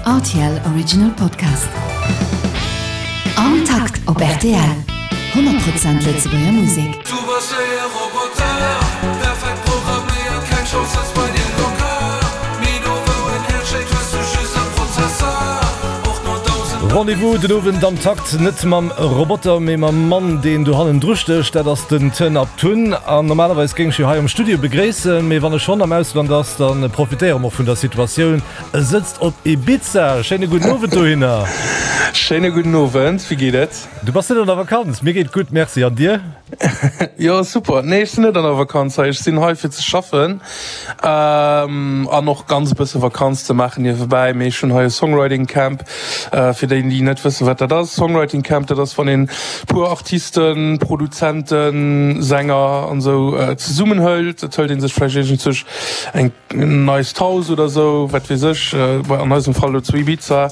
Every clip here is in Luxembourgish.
Rtl Original Podcast. Am Takt op rtl, 100 Prozent Lëtzebuerger Musek. Du bass wéi e Roboter, perfekt programméiert, keng Chance dass bei dir locker, mee do wou en Häerz schléit hues du just e Prozessor, och no 1000. Rendez-vous den Owend am Takt, net mam Roboter, mee mam Mann deen do hannendru stécht, dat ass den Tën Abtun. An normalerweis géing ech jo hei am Studio begréissen, mee wann e schonn am Ausland ass, da profitéiere mer och vun der Situatioun. E sëtzt op Ibiza. Schéine gudden Owend dohinner. Schéine gudden Owend, wéi geet et? Du bass net an der Vakanz? Mir geet gutt, Merci. An dir? Jo, super. Nee, ech sinn net an der Vakanz hei. Ech sinn hei fir ze schaffen an och ganz e bësse Vakanz ze maachen niewebäi. Mee ech hunn hei e Songwriting Camp. Fir déi, déi net wëssen, wat dat ass, Songwriting Camp, dat ass, wann een puer Artisten, Produzenten, Sänger an esou zesummen hëlt. Et hëlt ee sech vläicht iergendzech eng neist Haus oder sou, wat weess ech, an eisem Fall elo zu Ibiza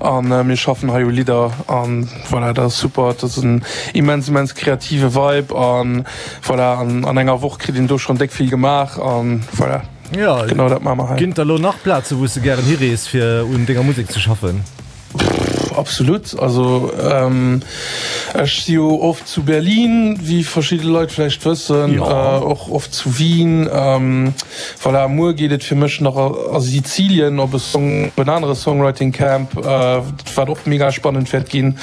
an mir schaffen hei u Lidder an voilà, dat ass super, dat ass en immens immens kreative Vibe an voilà, an an enger Woch kritt een do schonn déck vill gemaach an voilà, Jo, genau dat maache mer hei. Ginn et da lo nach Plaze wou s de gären hirees fir un denger Musek ze schaffen? Absolut, also ech si jo oft zu Berlin, wéi verschidde Leit vläicht wëssen, och oft zu Wien. Voilà, muer geet et fir mech nach a Sizilien op e Song, op en anere Songwriting Camp, wat och mega spannend wäert ginn.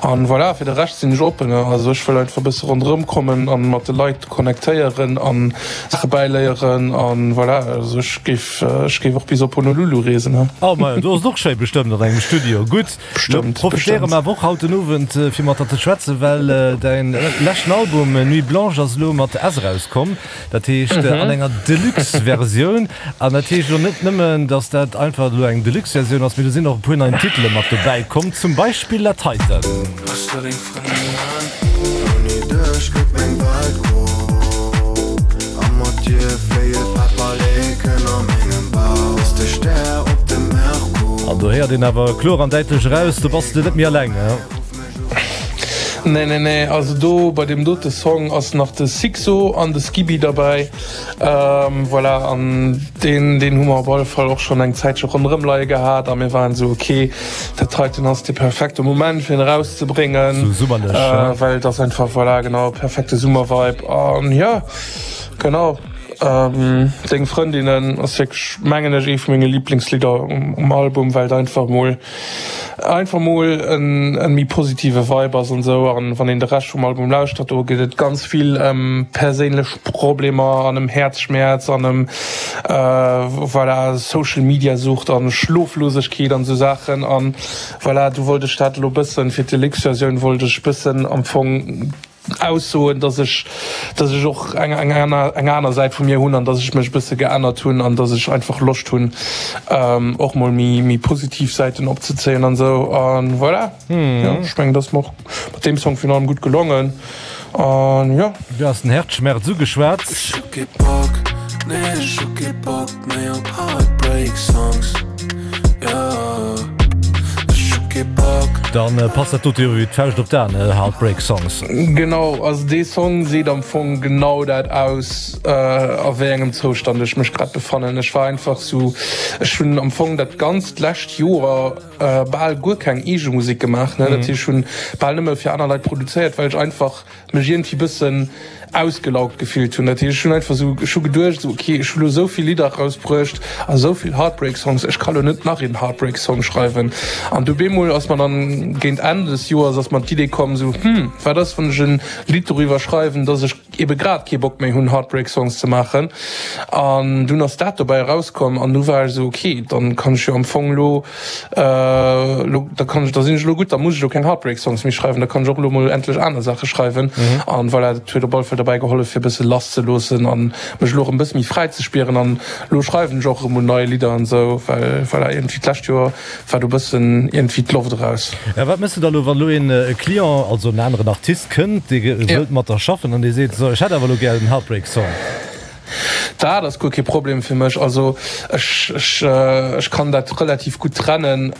An voilà, fir de Rescht sinn ech oppen. Also ech wëll einfach e bësse ronderëm kommen an mat de Leit connectéieren an Saache bäiléieren an voilà, also ech géif. Ech géif och bis op Honolulu reesen, he. Oh majo, do ass et och schéi bestëmmt an engem Studio. Gutt, lo profitéiere mer awer och haut den Owend fir mat der ze schwätzen, well däin leschten Album Nuit Blanche ass elo mat S erauskomm, dat heescht an enger Deluxe-Versioun. An dat heescht elo net nëmmen, datt dat einfach elo eng Deluxe-Versioun ass, mee do sinn och e puer nei Titele mat dobäi komm, zum Beispill dat heiten. Ouni dech gëtt meng Welt gro A mat dir fléie Päpperleken a mengem Bauch Bass de Stär op dem Merkur. An do héiert een awer kloer an däitlech eraus, do bass de net méi alleng, he? Nee, nee, nee, also do bei deem dote Song ass nach de Sixo an de Skibi derbäi. Voilà, an deen, deen hu mer op alle Fall och schonn eng Zäitche ronderëm leie gehat a mir waren esou, ok, dat heiten ass de perfekte Moment fir en erauszebréngen, Sou summerlech, ja. well et ass einfach, voilà, genau, perfekte Summervibe an jo, genau. Deng Frëndinnen ass wierklech, mengen ech, ee vu menge Liblingslidder um Album, well et einfach mol Einfach mol en méi positive Vibe ass an esou. An wann een de Rescht vum Album lauschtert, do geet et ganz vill ëm perséinlech Problemer an ëm Häerzschmäerz an ëm voilà Social Media Sucht an Schloflosegkeet an esou Saachen. An voilà, do wollt ech dat elo bëssen, fir d'Deluxe Versioun wollt ech bëssen am Fong aussoen, dass ech, dass ech och eng, eng aner, eng aner Säit vu mir hunn an dass ech mech e bësse geännert hunn an dass ech einfach Loscht hunn, och mol méi, méi positiv Säiten opzezéien an esou. A voilà, jo, ech mengen, dat ass mer och mat deem Song virun allem gutt gelongen an jo. Du has den Herzschmerz ugeschwat. Ech hu kee Bock, nee ech hu kee Bock méi op Heartbreak Songs, yeah ech hu kee Bock. Dann passt dat dote jo wéi d'Fauscht op d'A, ne, Heartbreak Songs. Genau, also dee Song seet am Fong genau dat aus, a wéi engem Zoustand ech mech grad befannen. Ech war einfach sou, ech hunn am Fong dat ganzt lescht Joer bal guer keng eege Musek gemaach, ne, dat heescht ech hunn bal nëmme fir aner Leit produzéiert, well ech einfach mech iergendwéi bëssen ausgelaugt gefillt hunn. Dat heescht, ech hunn einfach esou, ech hu geduecht esou, okay, ech hu lo esou vill Lidder erausbruecht a esou vill Heartbreak Songs, ech ka lo net nach een Heartbreak Song schreiwen. An du bemol ass mer dann géint Enn des Joers ass mer d'Idee komm esou, hm, wat ass wann ech en Lidd doriwwer schreiwen, dass ech ebe grad kee Bock méi hunn Heartbreak Songs ze maachen. An dunn ass dat dobäi erauskomm an du war ech esou, okay, dann kann ech jo am Fong lo, Lo, da kann ech, da sinn ech elo gutt, da muss ech elo keng Heartbreak Songs méi schreiwen, da kann ech och elo mol endlech aner Saache schreiwen. An voilà, dat huet op alle Fall derbäi gehollef fir e bësse lass ze loossen an mech elo erëm e bësse méi fräi ze spieren. An elo schreiwen ech och erëm mol nei Lidder an esou, well voilà, iergendwéi d'lescht Joer war do e bëssen iergendwéi d'Loft eraus. A wat méchs du da elo, wann elo een Client, also en aneren Artist kënnt, dee wëllt mat der schaffen an dee seet, sou ech hätt awer elo gär en Heartbreak Song? Dat ass guer kee Problem fir mech. Also ech, ech, ech kann dat relativ gutt trennen.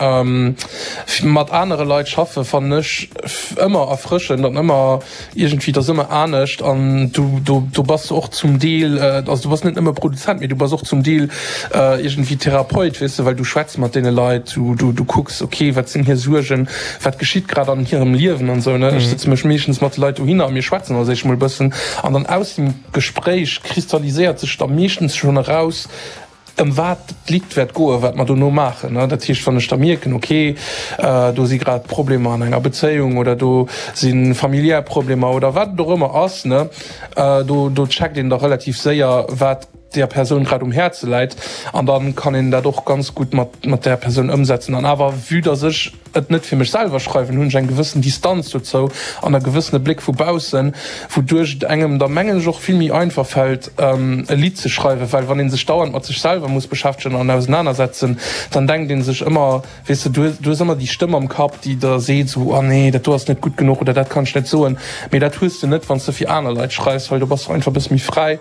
Mat anere Leit schaffe fannen ech ëmmer erfrëschend an ëmmer iergendwéi, et ass ëmmer anescht an du, do, do bass de och zum Deel, also du bass net nëmme Produzent, mee du bass och zum Deel iergendwéi Therapeut, weess de, well du schwätz mat deene Leit, du, du, du kucks, okay, wat sinn hir Suergen, wat geschitt grad an hirem Liewen an esou, ne. Ech sëtze mech meeschtens mat de Leit dohinner a mir schwätzen als éischt mol e bëssen an dann aus dem Gespréich kristalliséiert sech da meeschtens schonn eraus, ëm wat d'Lidd wäert goen, wat mer dono maachen. Dat heescht, wann ech da mierken, okay, do si grad Problemer an enger Bezéiung oder do si familiär Problemer oder wat et och ëmmer ass, do do checkt een da relativ séier, wat där Persoun grad um Häerze läit an da kann een dat och ganz gutt mat mat där Persoun ëmsetzen. An awer, vue dass ech et net fir mech selwer schreiwen, hunn ech eng gewëssen Distanz dozou an e gewëssene Bléck vu baussen, wouduerch et engem da mengen ech och vill méi einfach fält e Lidd ze schreiwen, well wann ee sech dauernd mat sech selwer muss beschäftegen an ausenanersetzen, dann denkt ee sech ëmmer, weess de, du hues ëmmer déi Stëmm am Kapp, déi der seet esou, oh nee, dat do ass net gutt genuch oder dat kann ech net soen. Mee dat hues de net, wann s de fir aner Leit schreifs, well do bass du einfach e bësse méi fräi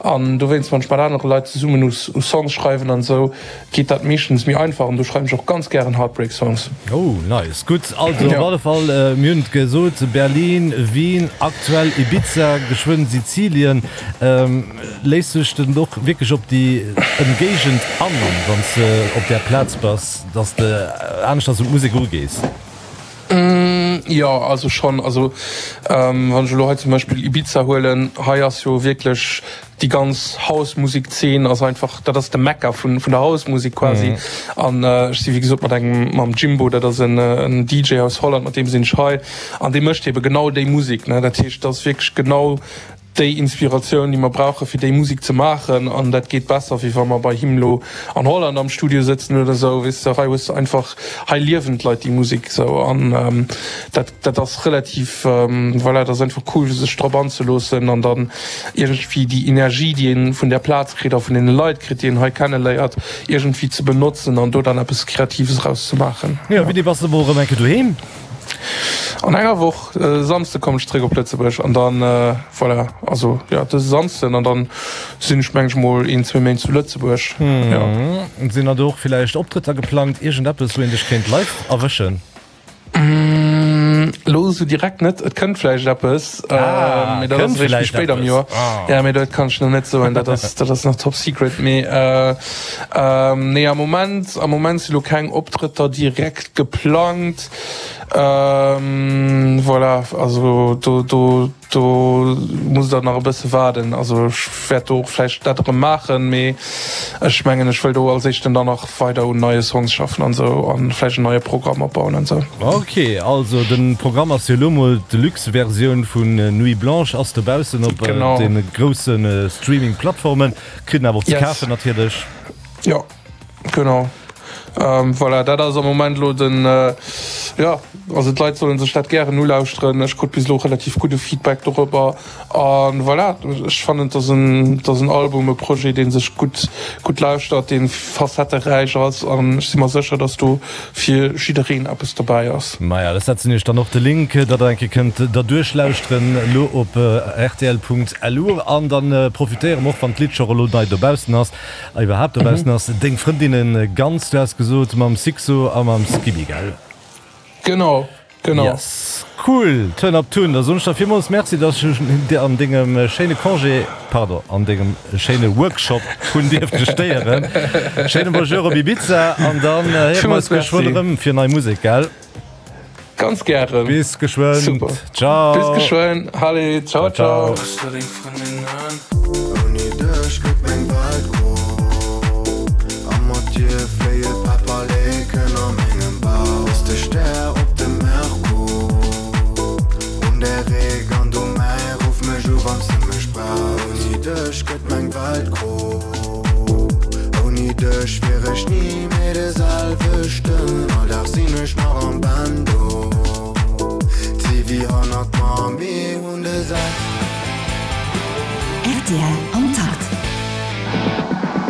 an dowéinst, wann ech mat anere Leit zesummen u Songs schreiwen an esou, geet dat meeschtens méi einfach an do schreiwen ech och ganz gären Heartbreak Songs. Oh nice, gutt. Also op alle Fall, mir hunn et gesot, Berlin, Wien, aktuell Ibiza, geschwënn Sizilien. Léiss du dech dann och wierklech op déi Ëmgéigend an, wann s de op där Plaz bass, dass de aneschters un d'Musek erugees? Jo, also schonn. Also wann ech elo hei zum Beispill Ibiza huelen, hei ass jo wierklech Déi ganz House-Musek-Zeen ass einfach, dat ass de Mekka vun der House-Musek quasi. An ech si wéi gesot mat engem, mam Jimbo, dat ass en DJ aus Holland, mat deem sinn ech hei. An dee mécht ebe genau déi Musek, ne. Dat heescht, dat ass wierklech genau déi Inspiratioun, déi mer brauche fir déi Musek ze maachen. An dat geet besser, wéi wa mer bei him elo an Holland am Studio sëtzen oder esou, weess de. Hei hues de einfach, hei liewen d'Leit déi Musek esou. An dat. Dat ass relativ, voilà, dat ass einfach cool sech drop anzeloossen an dann iergendwéi déi Energie, déi een vun där Plaz kritt a vun deene Leit kritt, déi een hei kenneléiert, iergendwéi ze benotzen an do dann eppes Kreatives eraus ze maachen. Jo, wéini bass de mol erëm eng Kéier doheem? An enger Woch, e Samsde kommen ech zeréck op Lëtzebuerg an dann, voilà, also jo, dëse Samsden an dann sinn ech meng ech mol een, zwee Méint zu Lëtzebuerg, jo. Sinn da do och villäicht Optrëtter geplangt, iergendeppes wou een dech kéint live erwëschen? Elo esou direkt net. Et kënnt vläicht eppes, mee dat ass eréischt méi spéit am Joer. Jo, mee dat kann ech nach net soen, dat ass, dat ass nach top secret. Mee nee, am Moment, am Moment si lo keng Optrëtter direkt geplangt. Voilà, also do, do. Do musst der nach e bësse waarden. Also ech wäert do och vläicht dat erëm maachen, mee ech mengen ech wëll do als éischten dann nach weider un neie Songs schaffen an esou an vläicht en neie Programm opbauen an esou. Ok, also de Programm ass jo elo mol d'Deluxe Versioun vun Nuit Blanche ass dobaussen op de grousse Streaming Plattformen, kritt en awer och ze kafen natierlech. Jo. Genau. Voilà, dat ass am Moment elo den, jo, also d'Leit solle sech dat gären ulauschteren. Ech krut bis elo relativ gudde Feedback dorobber. A voilà, ech fannen, et ass en, et ass en Album, e Projet, dee sech gutt, gutt lauschtert, dee facetteräich ass. An ech si mer sécher, datt do fir jiddereen eppes dobäi ass. Maja, ech setzen iech dann och de Link, datt der eng Kéier kënnt derduerch lauschteren elo op rtl.lu. An da profitéiere mer och, wann d'Lidd scho elo nei dobaussen ass, A iwwerhaapt dobaussen ass deng Frëndinne ganz, du has gesot mam Sixo a mam Skibi, gell? Genau, genau. Yes, cool! Turn Up Tun, da soen ech der villmools Merci, dass ech dech an dengem schéine Congé, pardon, an dengem schéine Workshop hunn dierfte stéieren. Schéine Bonjour op Ibiza an dann héiere mer eis geschwënn erëm fir nei Musek, gell? Ganz gären. Bis geschwënn. Super. Ciao. Bis geschwënn. Allez, ciao, ciao. Ouni dech gëtt meng Welt gro A mat dir fléie Päpperleken a mengem Bauch Bass de Stär op dem Merkur Un der Réck an du mäi Ruff mech u wanns de mech brauchs Ouni dech gëtt meng Welt gro Ouni dech wier ech ni Méi de selwechten, all Dag sinn ech nach am Bando. D'Sivi hannert mer, mir hunn de sel. Rtl am Takt.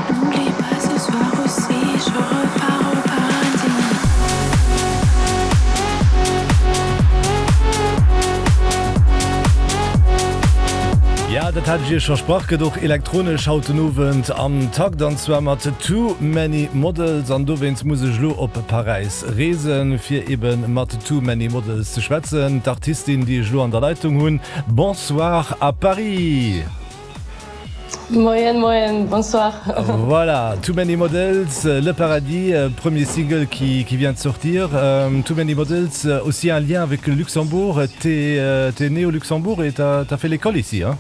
N'oublie pas ce soir aussi, j'aurai. dat hat ech Iech versprach, gëtt och elektronesch haut den Owend am Takt, an zwar mat Too Many Models. An dowéinst muss ech elo op Paräis reesen, fir ebe mat Too Many Models ze schwätzen. D'Artistin, déi ech elo an der Leitung hunn. Bonsoir à Paris! Moien, moien, bonsoir. Voilà, Too Many Models, Le Paradis, premier single qui, qui vient de sortir. Euh, Too Many Models, aussi un lien avec le Luxembourg. T'es euh, né au Luxembourg et t'as as fait l'école ici, hein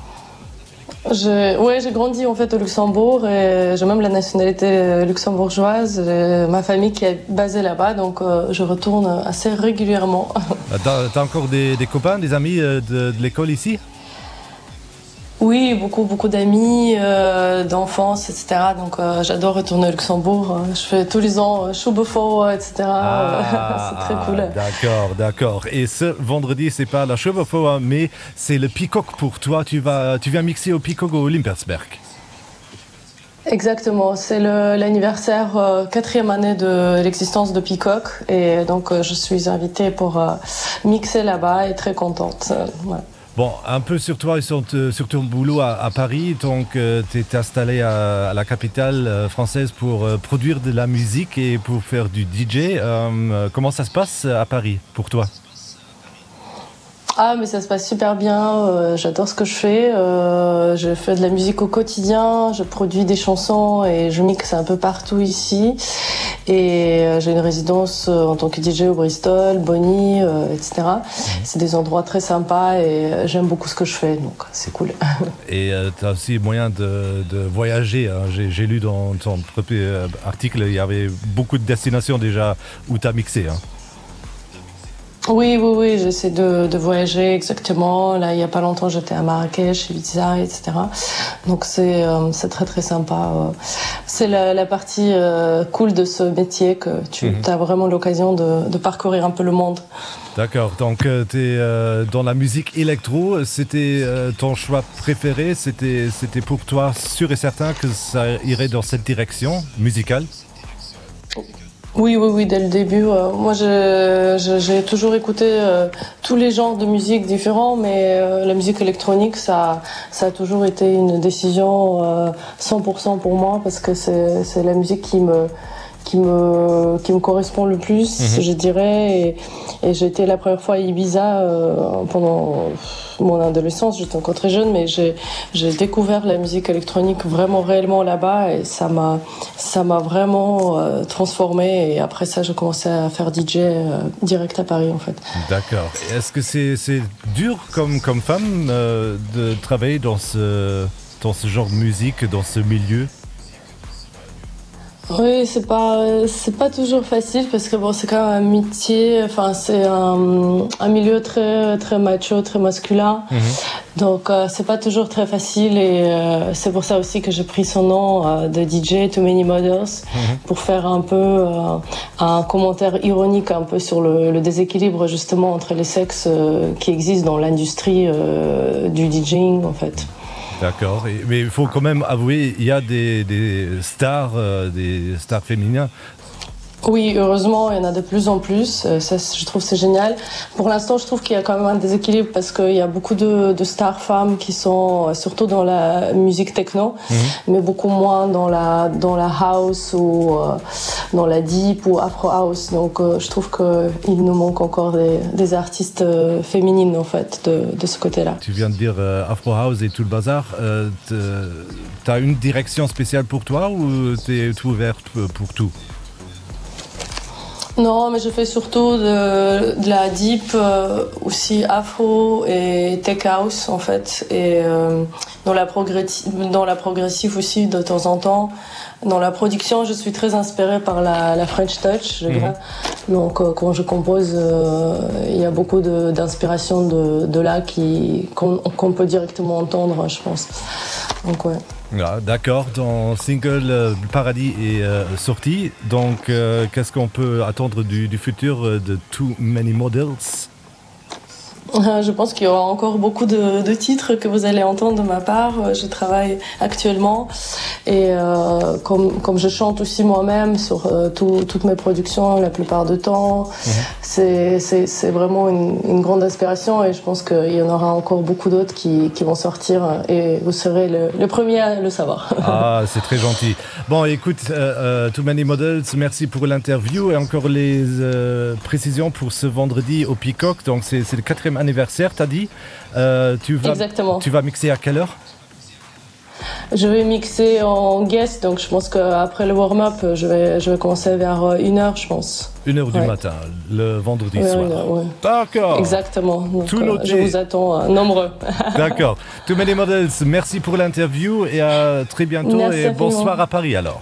Je, ouais, j'ai grandi en fait au Luxembourg et j'ai même la nationalité euh, luxembourgeoise, ma famille qui est basée là-bas, donc euh, je retourne assez régulièrement. Ah, t'as encore des, des copains, des amis euh, de, de l'école ici? Oui, beaucoup beaucoup d'amis euh, d'enfance etc donc euh, j'adore retourner au Luxembourg je fais tous les ans euh, Schubefort etc ah, c'est très cool d'accord d'accord et ce vendredi c'est pas la Schubefort mais c'est le peacock pour toi tu vas tu viens mixer au peacock au Limpersberg Exactement, c'est l'anniversaire euh, quatrième année de l'existence de Peacock et donc euh, je suis invitée pour euh, mixer là-bas et très contente. Euh, ouais. Bon, un peu sur toi et sur, sur ton boulot à, à Paris, donc euh, tu es installé à, à la capitale euh, française pour euh, produire de la musique et pour faire du DJ. Euh, comment ça se passe à Paris pour toi? Ah mais ça se passe super bien, euh, j'adore ce que je fais. Euh, je fais de la musique au quotidien, je produis des chansons et je mixe un peu partout ici. Et euh, j'ai une résidence euh, en tant que DJ au Bristol, Bonny, euh, etc. Mhm. C'est des endroits très sympas et euh, j'aime beaucoup ce que je fais, donc c'est cool. Et euh, tu as aussi moyen de, de voyager. J'ai lu dans ton premier article, il y avait beaucoup de destinations déjà où tu as mixé. Hein. Oui, oui, oui, j'essaie de, de voyager exactement. Là, il n'y a pas longtemps, j'étais à Marrakech, Ibiza, etc. Donc c'est euh, très très sympa. Euh. C'est la, la partie euh, cool de ce métier que tu mm -hmm. as vraiment l'occasion de, de parcourir un peu le monde. D'accord, donc euh, tu es euh, dans la musique électro, c'était euh, ton choix préféré, c'était pour toi sûr et certain que ça irait dans cette direction musicale? Oui, oui, oui, dès le début. Euh, moi, j'ai toujours écouté euh, tous les genres de musique différents, mais euh, la musique électronique, ça, ça a toujours été une décision euh, 100% pour moi parce que c'est la musique qui me qui me, qui me correspond le plus, mmh. je dirais. Et, et j'étais la première fois à Ibiza euh, pendant mon adolescence, j'étais encore très jeune, mais j'ai découvert la musique électronique vraiment réellement là-bas et ça m'a ça m'a vraiment euh, transformé et après ça j'ai commencé à faire DJ euh, direct à Paris en fait. D'accord. Est-ce que c'est dur comme, comme femme euh, de travailler dans ce, dans ce genre de musique, dans ce milieu? Oui, c'est pas c'est pas toujours facile parce que bon c'est quand même un métier enfin c'est un, un milieu très très macho très masculin mm -hmm. donc euh, c'est pas toujours très facile et euh, c'est pour ça aussi que j'ai pris son nom euh, de DJ Too Many Models mm -hmm. pour faire un peu euh, un commentaire ironique un peu sur le, le déséquilibre justement entre les sexes euh, qui existent dans l'industrie euh, du DJing en fait. D'accord, mais il faut quand même avouer, il y a des, des stars, euh, des stars féminins. Oui, heureusement, il y en a de plus en plus. Euh, ça, je trouve c'est génial. Pour l'instant, je trouve qu'il y a quand même un déséquilibre parce qu'il y a beaucoup de, de stars femmes qui sont euh, surtout dans la musique techno, mm -hmm. mais beaucoup moins dans la, dans la house ou euh, dans la deep ou afro house. Donc euh, je trouve qu'il nous manque encore des, des artistes euh, féminines en fait de, de ce côté-là. Tu viens de dire euh, afro house et tout le bazar. Euh, tu as une direction spéciale pour toi ou tu es ouverte pour tout? Non, mais je fais surtout de, de la deep euh, aussi afro et tech house en fait et euh, dans la dans la progressive aussi de temps en temps. Dans la production, je suis très inspirée par la, la French touch je mm -hmm. donc euh, quand je compose euh, il y a beaucoup d'inspiration de, de, de là qui qu'on qu peut directement entendre je pense donc ouais. Ah, D'accord, ton single euh, Paradis est euh, sorti, donc euh, qu'est-ce qu'on peut attendre du, du futur euh, de Too Many Models? Je pense qu'il y aura encore beaucoup de, de titres que vous allez entendre de ma part. Je travaille actuellement et euh, comme, comme je chante aussi moi-même sur euh, tout, toutes mes productions la plupart du temps, mmh. c'est vraiment une, une grande inspiration et je pense qu'il y en aura encore beaucoup d'autres qui, qui vont sortir et vous serez le, le premier à le savoir. Ah, c'est très gentil. Bon écoute euh, euh, Too Many Models, merci pour l'interview et encore les euh, précisions pour ce vendredi au Peacock. Donc c'est le quatrième anniversaire, t'as dit. Euh, tu vas, Exactement. Tu vas mixer à quelle heure Je vais mixer en guest, donc je pense qu'après le warm-up, je vais, je vais commencer vers euh, une heure, je pense. Une heure du ouais. matin, le vendredi ouais, soir. Ouais. D'accord. Exactement. Donc, Tout euh, je vous attends euh, nombreux. D'accord. Too many models, merci pour l'interview et à très bientôt merci et bonsoir à Paris alors.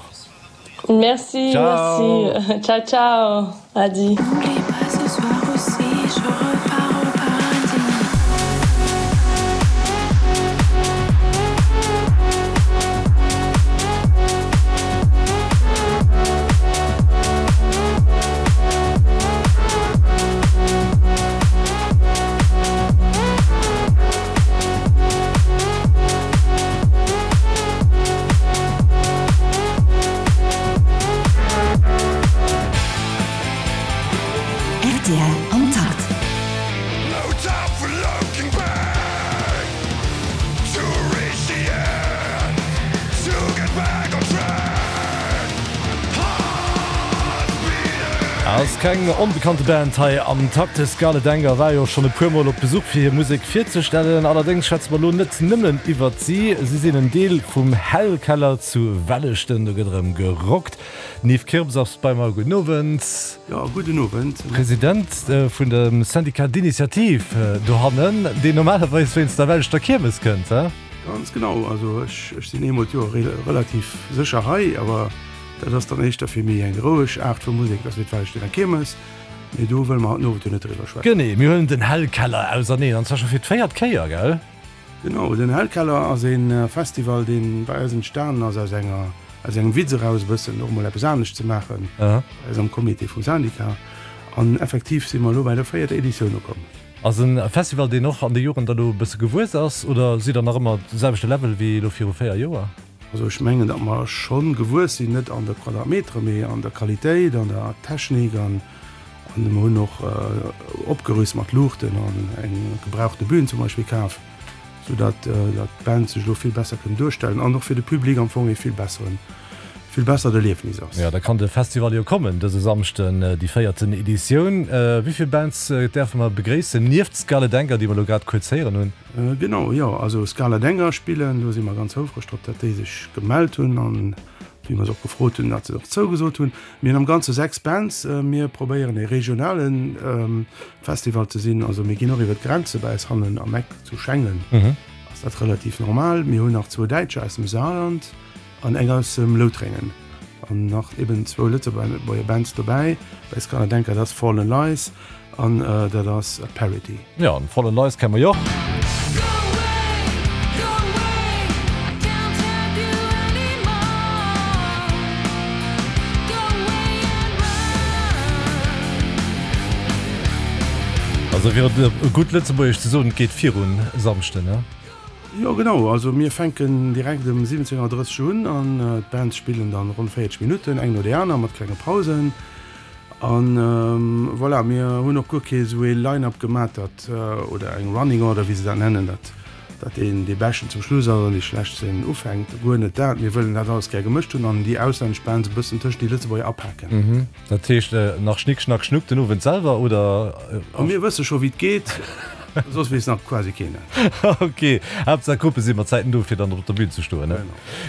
Merci, ciao. merci. Ciao ciao. Adi. Rtl am Takt. Ass keng onbekannte Band hei am Takt. De Scarlet Anger war jo schonn e puer Mol op Besuch fir hir Musek virzestellen. Allerdéngs schwätze mer elo net nëmmen iwwert si. Si sinn en Deel vum Hellkeller zu Welleschten. Do gëtt erëm gerockt. Den Yves Kirps ass bei mer. Gudden Owend. Jo, gudden Owend. President vun dem Syndicat d'initiative dohannen, deen normalerweis wéinst der Welleschter Kiermes kënnt, he? Ganz genau. Also ech sinn eemol d'Joer relativ sécher hei, awer dat ass dann éischter fir méi eng roueg Aart vu Musek, dat ass wéi d'Wellestener Kiermes. Mee do wëlle mer haut den Owend jo net driwwer schwätzen. Genee, mir huelen den Hellkeller auserneen, an zwar scho fir d'véiert Kéier, gell? Genau, den Hellkeller ass ee Festival, dee bei eis entstanen ass aus enger, aus engem Witz eraus e bëssen, och emol eppes anescht ze maachen, bei eis am Comité vum Syndicat. An effektiv si mer elo bei der véierter Editioun ukomm. Ass e Festival, deen och an de Joren da lo e bësse gewuess ass, oder sidd der nach ëmmer de selwechte Level wéi elo viru 4 Joer? Also ech mengen, datt mer scho gewuess sinn, net an de Quadratmetere, mee an der Qualitéit, an der Technik an mer hunn och opgerüst mat Luuchten an eng gebrauchte Bühn zum Beispill kaf, sou datt d'Band sech elo vill besser kënnen duerstellen an och fir de Public am Fong ee vill besseren, vill bessert Erliefnis ass. Jo, da kann de Festival jo kommen dëse Samschden, déi véierten Editioun. Wéi vill Bands däerfe mer begréissen, nieft Scarlet Anger, déi mer elo grad kuerz héieren hunn? Genau, jo, also Scala Denger spillen, do si mer ganz houfreg drop, datt déi sech gemellt hunn an wéi mer se och gefrot hunn, datt se och zougesot hunn. Mir hunn am Ganze 6 Bands. Mir probéieren e regionale Festival ze sinn, also mir ginn och iwwer d'Grenze. Bei eis hannen am Eck zu Schengen ass dat relativ normal. Mir hunn nach zwou Däitscher aus dem Saarland an eng aus dem Loutrengen an nach eben zwou Lëtzebuerger Bands dobäi. Bei Scala Denker, dat ass Fallen Lies An dat ass Parity. Jo, an Fallen Lies kenne mer jo och. Also fir et op gutt Lëtzebuergesch ze soen, et geet virun Samschden, ne? Jo genau, also mir fänken direkt ëm 17:30 un an d'Bands spillen dann ronn 40 Minutten, eng no déi aner mat klenge Pausen. An voilà, mir hunn och guer kee sou ee Line-up gemat, dat, oder eng Running Order, wéi se dat nennen, dat dat een dee Beschten zum Schluss ass an dee Schlechtsten ufänkt. Guer net dat. Mir wëllen dat alles gär gemëscht hunn an déi auslännesch Bands e bëssen tëscht déi Lëtzebuerger apaken. Dat heescht nach Schnick, Schnack, Schnuck den Owend selwer, oder? Mir wësse scho wéi et geet, soss weess nach quasi keen et. Ok, Haaptsaach Gruppe si mat Zäiten do fir dann op der Bühn ze stoen, ne?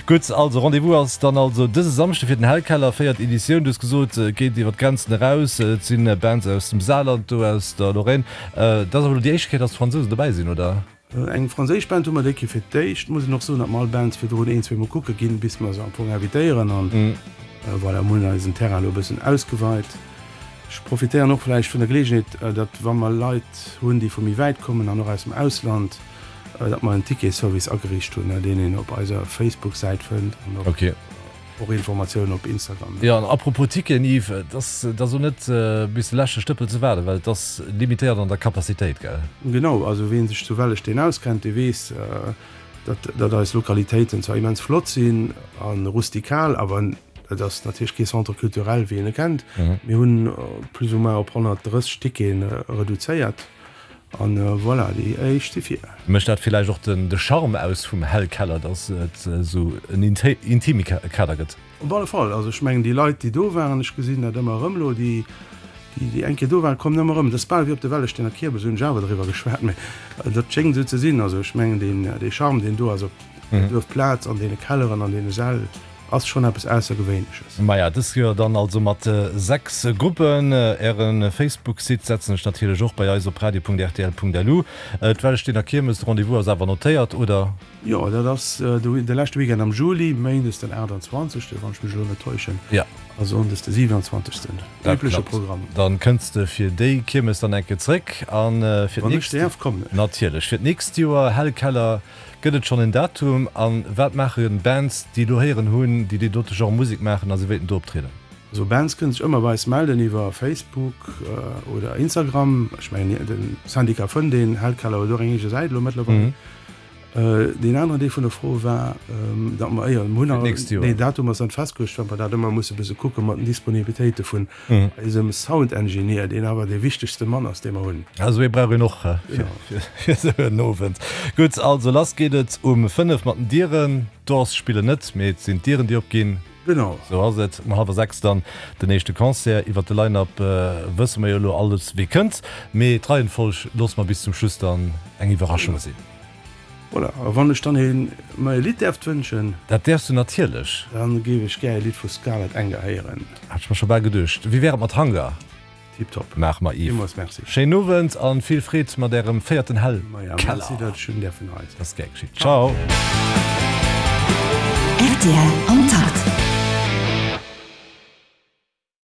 Gutt, also Rendez-vous ass dann also dëse Samschde fir den Hellkeller, véiert Editioun. Du hues gesot, et geet iwwer d'Grenzen eraus, et si Bands aus dem Saarland do, aus der Lorraine. Dat ass awer elo déi éischt Kéier, datt d'Fransousen dobäi sinn, oder? Eng franséisch Band hu mer déi Kéier fir d'éischt. Muss een och soen, datt mer all Bands virdrun een, zweemol kucke ginn, bis mer se am Fong invitéieren. An voilà, mir hunn eisen Terrain elo e bëssen ausgeweit. Ech profitéieren och vläicht vun der Geleegenheet, datt wa mer Leit hunn, déi vu méi wäit kommen an och aus dem Ausland, datt mer en Ticketservice ageriicht hunn, deen een op eiser Facebook-Säit fënnt an och. Ok. Och Informatiounen op Instagram. Jo, an apropos Ticketen, Yves, et ass et ass och net bis de leschte Stëppel ze waarden, well et ass limitéiert an der Capacitéit, gell? Genau, also ween sech zu Wellesteen auskennt, dee weess, datt datt eis Lokalitéiten zwar immens flott sinn a rustikal, awer et ass natierlech kee Centre culturel wéi een e kennt. Mir hunn plus ou moins op 130 Tickete reduzéiert. An voilà, déi éischt si vir. Mécht dat villäicht och de Charme aus vum Hellkeller, dass et esou en intime Kader gëtt? Op alle Fall. Also ech mengen déi Leit déi do waren, ech gesinn dat ëmmer erëm elo, déi déi eng Kéier do waren, kommen ëmmer erëm. Dat ass bal wéi op de Wellestener Kiermes, hunn ech awer driwwer geschwat, mä dat schéngt esou ze sinn. Also ech mengen deen dee Charme deen do ass op der Duerfplaz, an deene Kelleren, an deene Säll, Ass schon eppes aussergewéinleches. Maja, dëst Joer dann also mat 6 Gruppen. Äre Facebook-Site setzen ech natierlech och bei eis op radio.rtl.lu. D'Wellestener Kiermes, de Rendez-vous ass awer notéiert, oder? Jo, dat ass de leschte Weekend am Juli, méindes den 28., wann ech mech elo net täuschen, a sonndes de 27. Dat Übleche Programm. Dann kënns de fir déi Kiermes dann eng Kéier zréck. A fir Wann ech däerf, kommen ech. Natierlech. Fir d'nächst Joer, Hellkeller. Gëtt et schonn en Datum? A wat maache Bands, déi elo héieren hunn, déi dee dote Genre Musek maachen a se wéilten do optrieden? Also Bands kënnen sech ëmmer bei eis melden iwwer Facebook oder Instagram. Ech mengen de Syndicat fënnt een, Hellkeller huet och eng eege Säit elo mëttlerweil. Deen aneren Deel vun der Fro war, datt mer, jo, mir hunn nach, nee, Datum ass net festgeluecht, well mer dat ëmmer musse bësse kucke mat den Disponibilitéite vun Eisem Sound Engineer, deen awer dee wichtegste Mann ass, dee mer hunn. Esou ee brauch een och fir esou en Owend. Gutt, also lass geet et um 5 mat den Dieren. D'Doors spillen net, mee et sinn d'Dieren, déi opginn. Genau. Esou ass et. Um hallwer 6 dann den éischte Concert. Iwwer de Line-Up wësse mer jo elo alles, wee kënnt. Mee d'Reihenfolg loosse mer bis zum Schluss dann eng Iwwerraschung sinn. Voilà, a wann ech dann een mer e Lidd däerft wënschen? Dat däerfs du natierlech. Dann géif ech gär e Lidd vu Scarlet Anger héieren. Hat ech mer scho bal geduecht. Wéi wär et mat Hunger? Tiptop. Maache mer, Yves. Villmools Merci. Schéinen Owend an vill Freed mat ärem véierten Hell Maja, merci dat ech hunn däerfen hei sinn. Ass gär geschitt. Ciao. Rtl am Takt.